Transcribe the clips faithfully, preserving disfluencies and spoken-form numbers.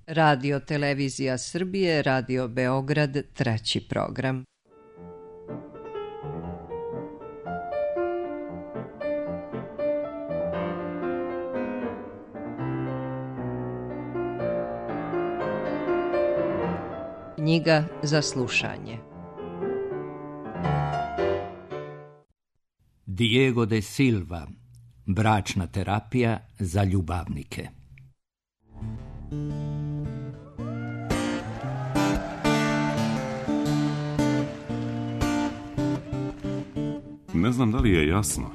Radio Televizija Srbije, Radio Beograd, treći program. Knjiga za slušanje. Diego de Silva, bračna terapija za ljubavnike. Ne znam da li je jasno.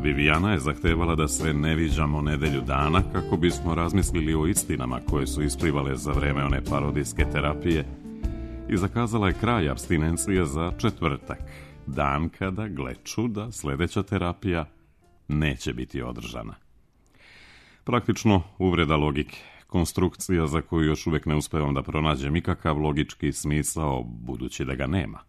Vivijana je zahtevala da se ne viđamo nedelju dana kako bismo razmislili o istinama koje su isplivale za vreme one parodijske terapije i zakazala je kraj apstinencije za četvrtak, dan kada, gle čuda, sljedeća terapija neće biti održana. Praktično uvreda logike, konstrukcija za koju još uvijek ne uspevam da pronađem ikakav logički smisao, budući da ga nema.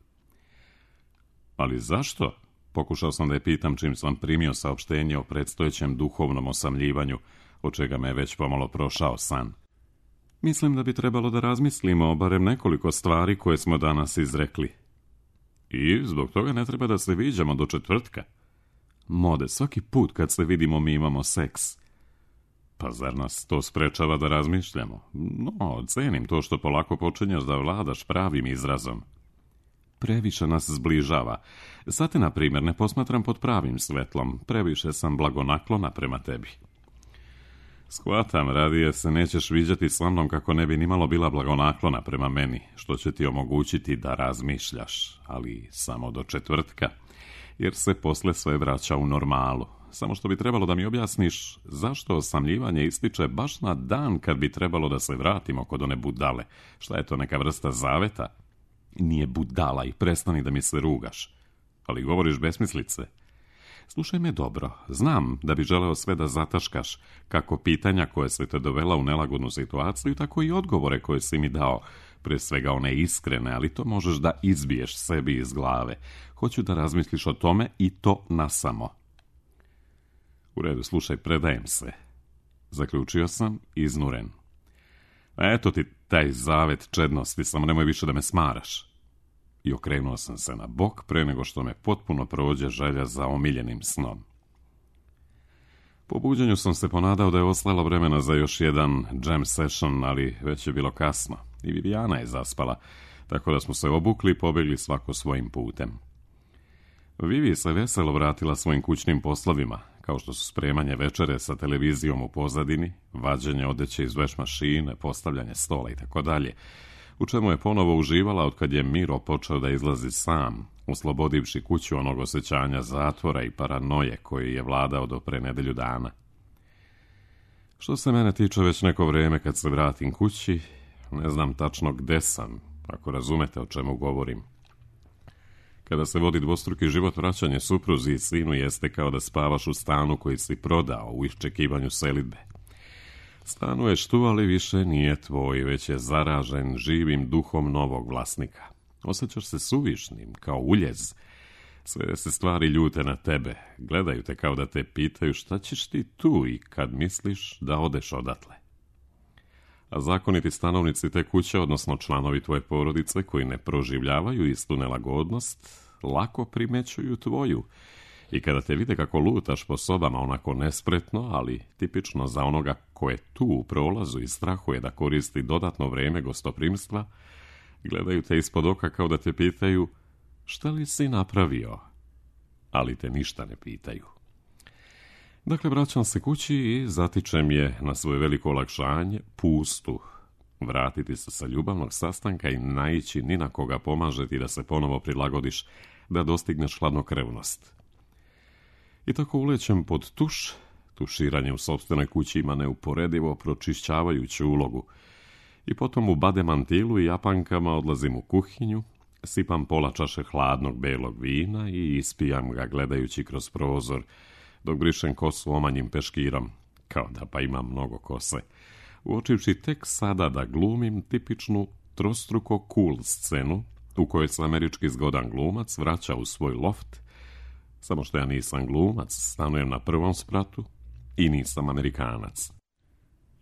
Ali zašto? Pokušao sam da je pitam čim sam primio saopštenje o predstojećem duhovnom osamljivanju, od čega me je već pomalo prošao san. Mislim da bi trebalo da razmislimo o barem nekoliko stvari koje smo danas izrekli. I zbog toga ne treba da se viđamo do četvrtka. Mode, svaki put kad se vidimo mi imamo seks. Pa zar nas to sprečava da razmišljamo? No, cenim to što polako počinješ da vladaš pravim izrazom. Previše nas zbližava. Sad te, na primjer, ne posmatram pod pravim svetlom. Previše sam blagonaklona prema tebi. Shvatam, radije se nećeš viđati sa mnom kako ne bi nimalo bila blagonaklona prema meni, što će ti omogućiti da razmišljaš, ali samo do četvrtka, jer se posle sve vraća u normalu. Samo što bi trebalo da mi objasniš zašto osamljivanje ističe baš na dan kad bi trebalo da se vratimo kod one budale. Šta je to, neka vrsta zaveta? Nije budala i prestani da mi se rugaš. Ali govoriš besmislice. Slušaj me dobro, znam da bi želeo sve da zataškaš, kako pitanja koje se te dovela u nelagodnu situaciju, tako i odgovore koje si mi dao, pre svega one iskrene, ali to možeš da izbiješ sebi iz glave. Hoću da razmisliš o tome i to nasamo. U redu, slušaj, predajem se. Zaključio sam, iznuren. A eto ti taj zavet čednosti, samo nemoj više da me smaraš. I okrenuo sam se na bok pre nego što me potpuno prođe želja za omiljenim snom. Po buđenju sam se ponadao da je ostalo vremena za još jedan jam session, ali već je bilo kasno i Vivijana je zaspala, tako da smo se obukli i pobegli svako svojim putem. Vivi se veselo vratila svojim kućnim poslovima, kao što su spremanje večere sa televizijom u pozadini, vađenje odeće iz veš mašine, postavljanje stola i tako dalje, u čemu je ponovo uživala od kad je Miro počeo da izlazi sam, oslobodivši kuću onog osjećanja zatvora i paranoje koji je vladao do pre nedelju dana. Što se mene tiče, već neko vreme kad se vratim kući, ne znam tačno gde sam, ako razumete o čemu govorim. Kada se vodi dvostruki život, vraćanje supruzi i sinu jeste kao da spavaš u stanu koji si prodao u iščekivanju selidbe. Stanuješ tu, ali više nije tvoj, već je zaražen živim duhom novog vlasnika. Osjećaš se suvišnim, kao uljez. Sve se stvari ljute na tebe, gledaju te kao da te pitaju šta ćeš ti tu i kad misliš da odeš odatle. A zakoniti stanovnici te kuće, odnosno članovi tvoje porodice koji ne proživljavaju istu nelagodnost, lako primećuju tvoju. I kada te vide kako lutaš po sobama onako nespretno, ali tipično za onoga ko je tu u prolazu i strahuje da koristi dodatno vreme gostoprimstva, gledaju te ispod oka kao da te pitaju šta li si napravio, ali te ništa ne pitaju. Dakle, vraćam se kući i zatičem je na svoje veliko olakšanje, pustu, vratiti se sa ljubavnog sastanka i naići ni na koga pomažeti da se ponovo prilagodiš, da dostigneš hladnokrevnost. I tako ulećem pod tuš. Tuširanje u sopstvenoj kući ima neuporedivo pročišćavajuću ulogu. I potom u bademantilu i japankama odlazim u kuhinju, sipam pola čaše hladnog belog vina i ispijam ga gledajući kroz prozor, dok brišem kosu omanjim peškirom, kao da pa imam mnogo kose, uočivši tek sada da glumim tipičnu trostruko cool scenu u kojoj se američki zgodan glumac vraća u svoj loft, samo što ja nisam glumac, stanujem na prvom spratu i nisam Amerikanac.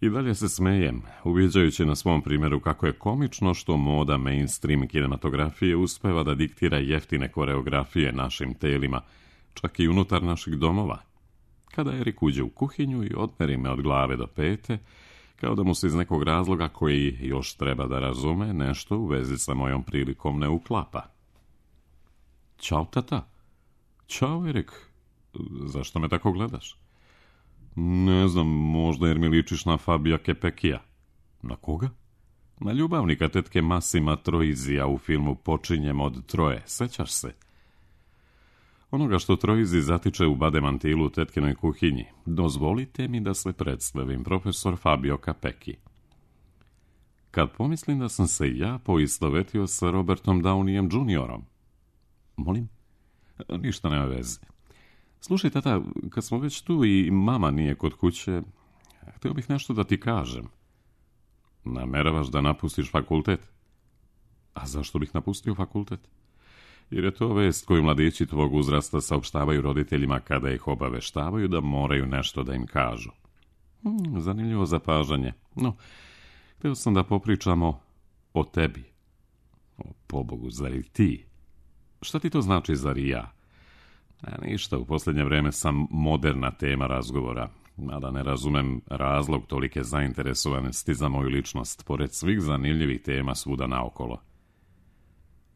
I dalje se smejem, uviđajući na svom primjeru kako je komično što moda mainstream kinematografije uspeva da diktira jeftine koreografije našim telima, čak i unutar naših domova. Kada Erik uđe u kuhinju i odmeri me od glave do pete, kao da mu se iz nekog razloga koji još treba da razume, nešto u vezi sa mojom prilikom ne uklapa. Ćao, tata. Ćao, Erik. Zašto me tako gledaš? Ne znam, možda jer mi ličiš na Fabija Kepekija. Na koga? Na ljubavnika tetke Masima Troizija u filmu Počinjem od troje, sećaš se? Onoga što Troizi zatiče u bademantilu u tetkinoj kuhinji. Dozvolite mi da se predstavim, profesor Fabio Capecchi. Kad pomislim da sam se ja poistovetio sa Robertom Downeyem juniorom. Molim? Ništa nema veze. Slušaj, tata, kad smo već tu i mama nije kod kuće, htio bih nešto da ti kažem. Nameravaš da napustiš fakultet? A zašto bih napustio fakultet? Jer je to vest koju mladići tvog uzrasta saopštavaju roditeljima kada ih obaveštavaju da moraju nešto da im kažu. Hmm, zanimljivo zapažanje. No, htio sam da popričamo o tebi. O, pobogu, zar i ti? Šta ti to znači, zar i ja? A ništa, u posljednje vreme sam moderna tema razgovora, mada ne razumem razlog tolike zainteresovanosti za moju ličnost, pored svih zanimljivih tema svuda naokolo.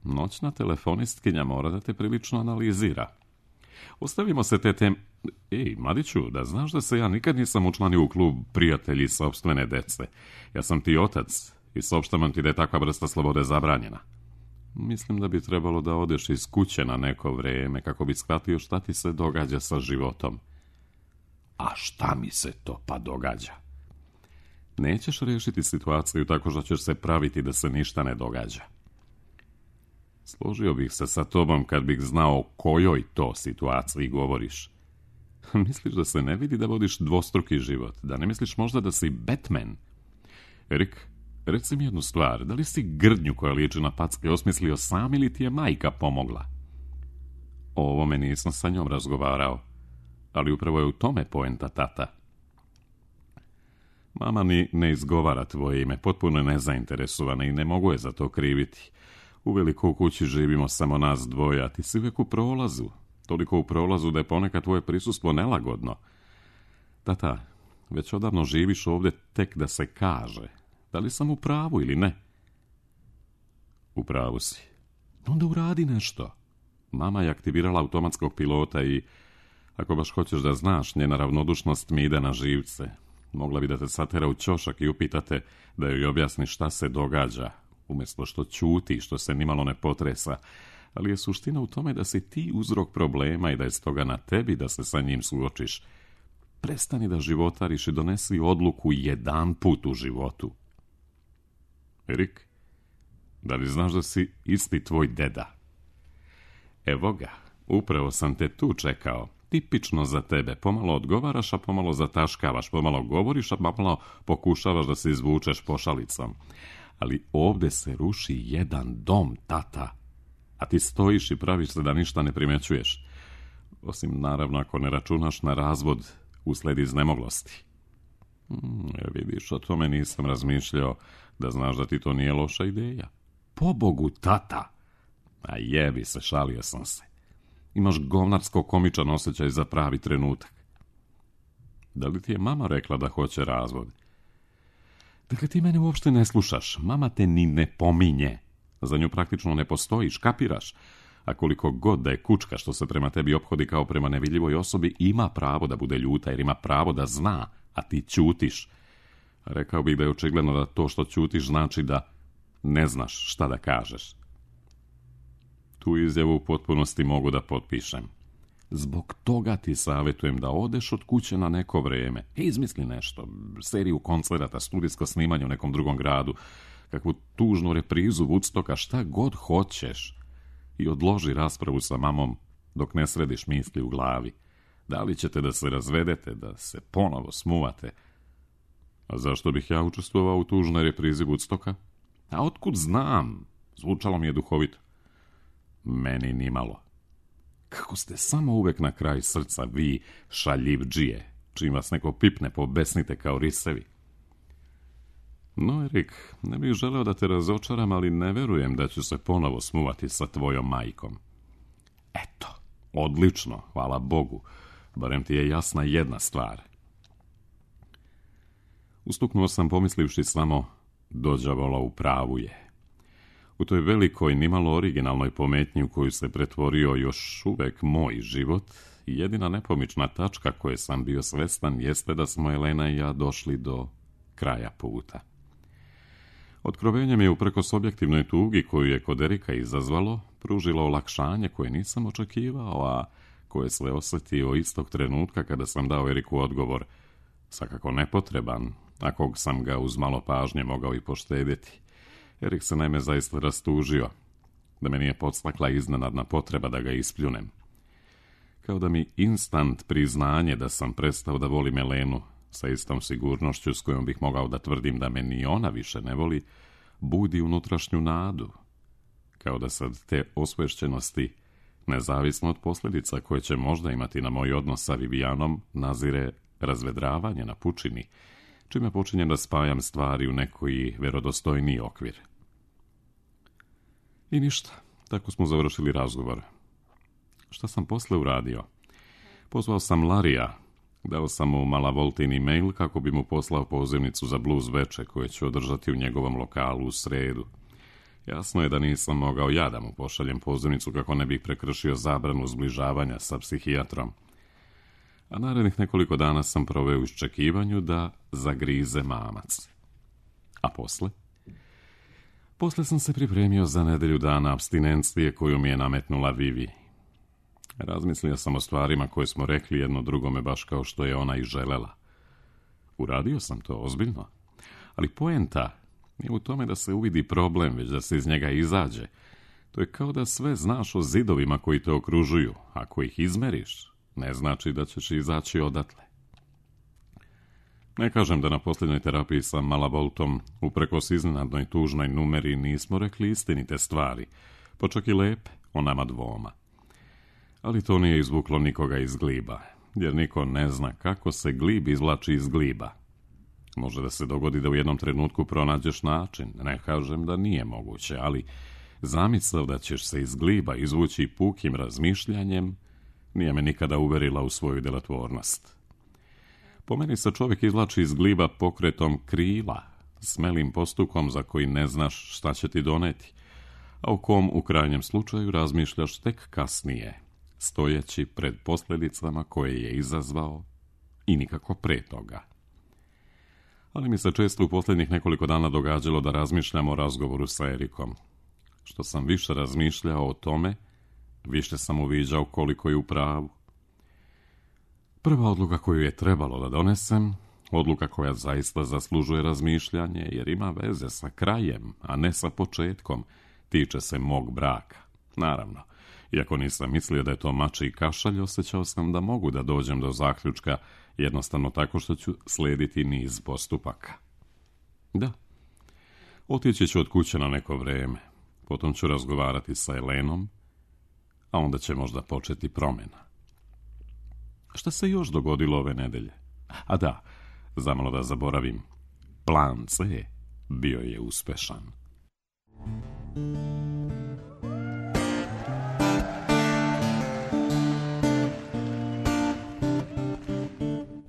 Noćna telefonistkinja mora da te prilično analizira. Ostavimo se te tem... Ej, mladiću, da znaš da se ja nikad nisam učlanio u klub prijatelji sopstvene dece. Ja sam ti otac i saopštavam ti da je takva vrsta slobode zabranjena. Mislim da bi trebalo da odeš iz kuće na neko vreme kako bi shvatio šta ti se događa sa životom. A šta mi se to pa događa? Nećeš riješiti situaciju tako što ćeš se praviti da se ništa ne događa. Složio bih se sa tobom kad bih znao o kojoj to situaciji govoriš. Misliš da se ne vidi da vodiš dvostruki život? Da ne misliš možda da si Batman? Erik, reci mi jednu stvar, da li si grdnju koja liči na packe osmislio sam ili ti je majka pomogla? O ovome nisam sa njom razgovarao, ali upravo je u tome poenta, tata. Mama ni ne izgovara tvoje ime, potpuno je nezainteresovana i ne mogu je za to kriviti. Uveliko u kući živimo samo nas dvoje, a ti si uvijek u prolazu. Toliko u prolazu da je ponekad tvoje prisustvo nelagodno. Tata, već odavno živiš ovdje tek da se kaže. Da li sam u pravu ili ne? U pravu si. Onda uradi nešto. Mama je aktivirala automatskog pilota i, ako baš hoćeš da znaš, njena ravnodušnost mi ide na živce. Mogla bi da te satera u ćošak i upitate da joj objasni šta se događa, umjesto što ćuti, što se nimalo ne potresa. Ali je suština u tome da si ti uzrok problema i da je stoga na tebi da se sa njim suočiš. Prestani da životariš i donesi odluku jedan put u životu. Erik, da li znaš da si isti tvoj deda? Evo ga, upravo sam te tu čekao. Tipično za tebe. Pomalo odgovaraš, a pomalo zataškavaš. Pomalo govoriš, a pomalo pokušavaš da se izvučeš pošalicom. Ali ovdje se ruši jedan dom, tata. A ti stojiš i praviš se da ništa ne primećuješ. Osim, naravno, ako ne računaš na razvod usled iznemoglosti. Hmm, vidiš, o tome nisam razmišljao, da znaš da ti to nije loša ideja. Pobogu, tata! A jebi se, šalio sam se. Imaš govnarsko komičan osjećaj za pravi trenutak. Da li ti je mama rekla da hoće razvod? Dakle, ti mene uopšte ne slušaš. Mama te ni ne pominje. Za nju praktično ne postojiš, kapiraš. A koliko god da je kučka što se prema tebi ophodi kao prema nevidljivoj osobi, ima pravo da bude ljuta jer ima pravo da zna, a ti ćutiš. Rekao bih da je očigledno da to što ćutiš znači da ne znaš šta da kažeš. Tu izjavu u potpunosti mogu da potpišem. Zbog toga ti savjetujem da odeš od kuće na neko vrijeme. Izmisli nešto, seriju koncerata, studijsko snimanje u nekom drugom gradu, kakvu tužnu reprizu Woodstocka, šta god hoćeš. I odloži raspravu sa mamom dok ne središ misli u glavi. Da li ćete da se razvedete, da se ponovo smuvate? A zašto bih ja učestvovao u tužnoj reprizi Woodstocka? A otkud znam? Zvučalo mi je duhovito. Meni nimalo. Kako ste samo uvek na kraj srca, vi šaljivdžije, čim vas neko pipne, pobesnite kao risevi. No, Erik, ne bih želeo da te razočaram, ali ne verujem da ću se ponovo smuvati sa tvojom majkom. Eto, odlično, hvala Bogu. Barem ti je jasna jedna stvar. Ustuknuo sam pomislivši samo, dođavola u pravu je. U toj velikoj, nimalo originalnoj pometnji u koju se pretvorio još uvek moj život, jedina nepomična tačka koje sam bio svestan jeste da smo Elena i ja došli do kraja puta. Otkrovenje mi je uprkos objektivnoj tugi koju je kod Erika izazvalo, pružilo olakšanje koje nisam očekivao, a koje sve osjetio istog trenutka kada sam dao Eriku odgovor, svakako nepotreban, a kog sam ga uz malo pažnje mogao i poštedjeti. Erik se naime zaista rastužio, da me nije podstakla iznenadna potreba da ga ispljunem. Kao da mi instant priznanje da sam prestao da volim Elenu, sa istom sigurnošću s kojom bih mogao da tvrdim da me ni ona više ne voli, budi unutrašnju nadu. Kao da sad te osvešćenosti, nezavisno od posljedica koje će možda imati na moj odnos sa Vivijanom, nazire razvedravanje na pučini, čime počinjem da spajam stvari u neki verodostojniji okvir. I ništa, tako smo završili razgovor. Šta sam posle uradio? Pozvao sam Larija, dao sam mu malavoltin e-mail kako bi mu poslao pozivnicu za blues veče koje ću održati u njegovom lokalu u sredu. Jasno je da nisam mogao ja da mu pošaljem pozivnicu kako ne bih prekršio zabranu zbližavanja sa psihijatrom. A narednih nekoliko dana sam proveo u iščekivanju da zagrize mamac. A posle? Posle sam se pripremio za nedelju dana apstinencije koju mi je nametnula Vivi. Razmislio sam o stvarima koje smo rekli jedno drugome baš kao što je ona i želela. Uradio sam to ozbiljno, ali poenta nije u tome da se uvidi problem, već da se iz njega izađe. To je kao da sve znaš o zidovima koji te okružuju. Ako ih izmeriš, ne znači da ćeš izaći odatle. Ne kažem da na posljednjoj terapiji sa Malavoltom, uprkos iznenadnoj tužnoj numeri, nismo rekli istinite stvari, pa čak i lepe o nama dvoma. Ali to nije izvuklo nikoga iz gliba, jer niko ne zna kako se glib izvlači iz gliba. Može da se dogodi da u jednom trenutku pronađeš način, ne kažem da nije moguće, ali zamisao da ćeš se iz gliba izvući pukim razmišljanjem nije me nikada uverila u svoju delotvornost. Po meni se čovjek izvlači iz gliba pokretom krila, smelim postukom za koji ne znaš šta će ti doneti, a u kom u krajnjem slučaju razmišljaš tek kasnije, stojeći pred posljedicama koje je izazvao i nikako pre toga. Ali mi se često u posljednjih nekoliko dana događalo da razmišljam o razgovoru sa Erikom. Što sam više razmišljao o tome, više sam uviđao koliko je u pravu. Prva odluka koju je trebalo da donesem, odluka koja zaista zaslužuje razmišljanje jer ima veze sa krajem, a ne sa početkom, tiče se mog braka. Naravno, iako nisam mislio da je to mačji kašalj, osjećao sam da mogu da dođem do zaključka jednostavno tako što ću slijediti niz postupaka. Da, otići ću od kuće na neko vrijeme, potom ću razgovarati sa Elenom, a onda će možda početi promjena. Šta se još dogodilo ove nedelje? A da, zamalo da zaboravim, plan C bio je uspešan.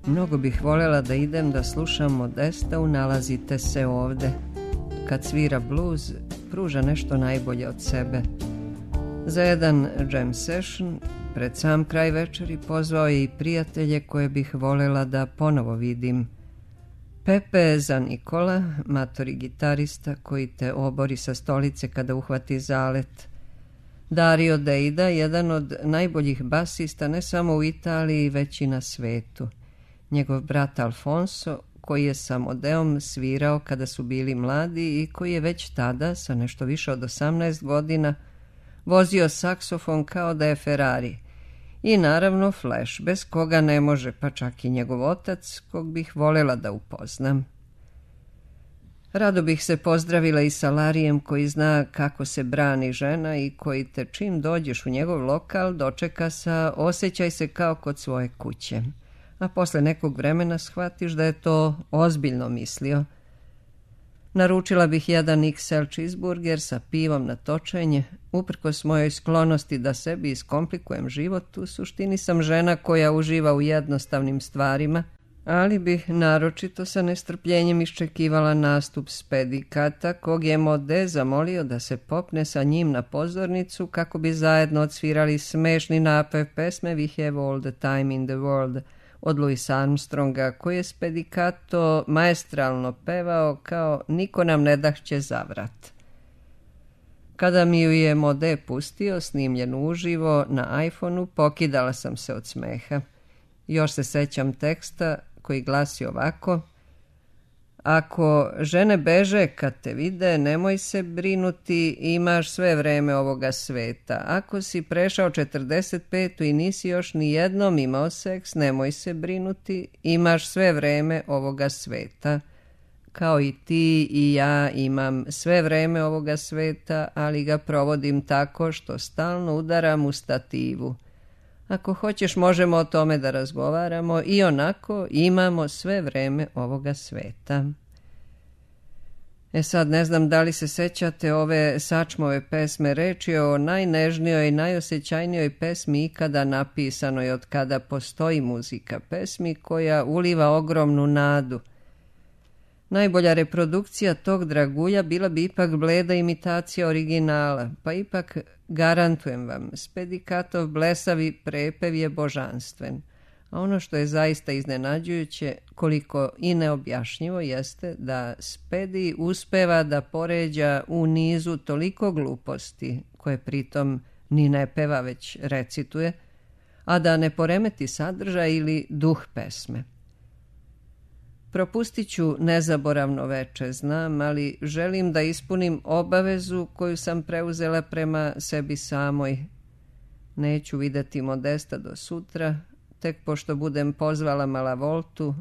Mnogo bih voljela da idem da slušam Modesta u Nalazite se ovde. Kad svira bluz, pruža nešto najbolje od sebe. Za jedan jam session, pred sam kraj večeri, pozvao je i prijatelje koje bih voljela da ponovo vidim. Pepe za Nikola, matori gitarista koji te obori sa stolice kada uhvati zalet. Dario Deida, jedan od najboljih basista ne samo u Italiji, već i na svetu. Njegov brat Alfonso, koji je sa Modeom svirao kada su bili mladi i koji je već tada, sa nešto više od osamnaest godina, vozio saksofon kao da je Ferrari. I naravno Flash, bez koga ne može, pa čak i njegov otac, kog bih voljela da upoznam. Rado bih se pozdravila i sa Larijem koji zna kako se brani žena i koji te čim dođeš u njegov lokal dočeka sa osjećaj se kao kod svoje kuće. A posle nekog vremena shvatiš da je to ozbiljno mislio. Naručila bih jedan iks el cheeseburger sa pivom na točenje. Uprkos mojoj sklonosti da sebi iskomplikujem život, u suštini sam žena koja uživa u jednostavnim stvarima, ali bih naročito sa nestrpljenjem iščekivala nastup Spedikata, kog je Mode zamolio da se popne sa njim na pozornicu kako bi zajedno odsvirali smešni napev pesme We have all the time in the world od Louis Armstronga, koji je Spedicato maestralno pevao kao Niko nam ne dahće zavrat. Kada mi ju je Mode pustio, snimljen uživo na iPhoneu, pokidala sam se od smeha. Još se sećam teksta koji glasi ovako: ako žene beže kad te vide, nemoj se brinuti, imaš sve vreme ovoga sveta. Ako si prešao četrdeset petu i nisi još ni jednom imao seks, nemoj se brinuti, imaš sve vreme ovoga sveta. Kao i ti i ja imam sve vreme ovoga sveta, ali ga provodim tako što stalno udaram u stativu. Ako hoćeš, možemo o tome da razgovaramo, i onako imamo sve vreme ovoga sveta. E sad, ne znam da li se sećate ove Sačmove pesme, reč je o najnežnijoj i najosjećajnijoj pesmi ikada napisanoj od kada postoji muzika, pesmi koja uliva ogromnu nadu. Najbolja reprodukcija tog dragulja bila bi ipak bleda imitacija originala, pa ipak garantujem vam, Spedikatov blesavi prepev je božanstven. A ono što je zaista iznenađujuće, koliko i neobjašnjivo, jeste da Spedi uspeva da poređa u nizu toliko gluposti, koje pritom ni ne peva već recituje, a da ne poremeti sadržaj ili duh pesme. Propustit ću nezaboravno veče, znam, ali želim da ispunim obavezu koju sam preuzela prema sebi samoj. Neću videti Modesta do sutra, tek pošto budem pozvala Malavoltu.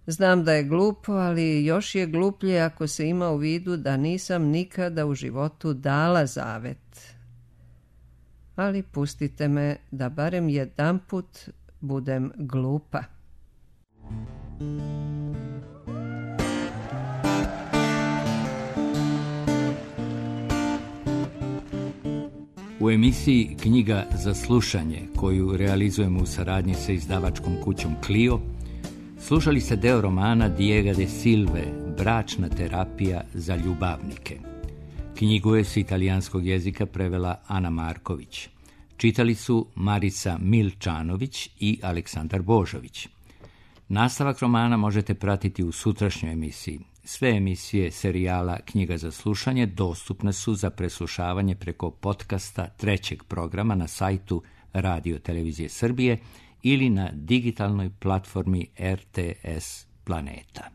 Znam da je glupo, ali još je gluplje ako se ima u vidu da nisam nikada u životu dala zavet. Ali pustite me da barem jedanput budem glupa. U emisiji Knjiga za slušanje, koju realizujemo u saradnji sa izdavačkom kućom Clio, slušali ste deo romana Diega de Silve, Bračna terapija za ljubavnike. Knjigu je s italijanskog jezika prevela Ana Marković. Čitali su Marica Milčanović i Aleksandar Božović. Nastavak romana možete pratiti u sutrašnjoj emisiji. Sve emisije serijala Knjiga za slušanje dostupne su za preslušavanje preko podcasta trećeg programa na sajtu Radio Televizije Srbije ili na digitalnoj platformi er te es Planeta.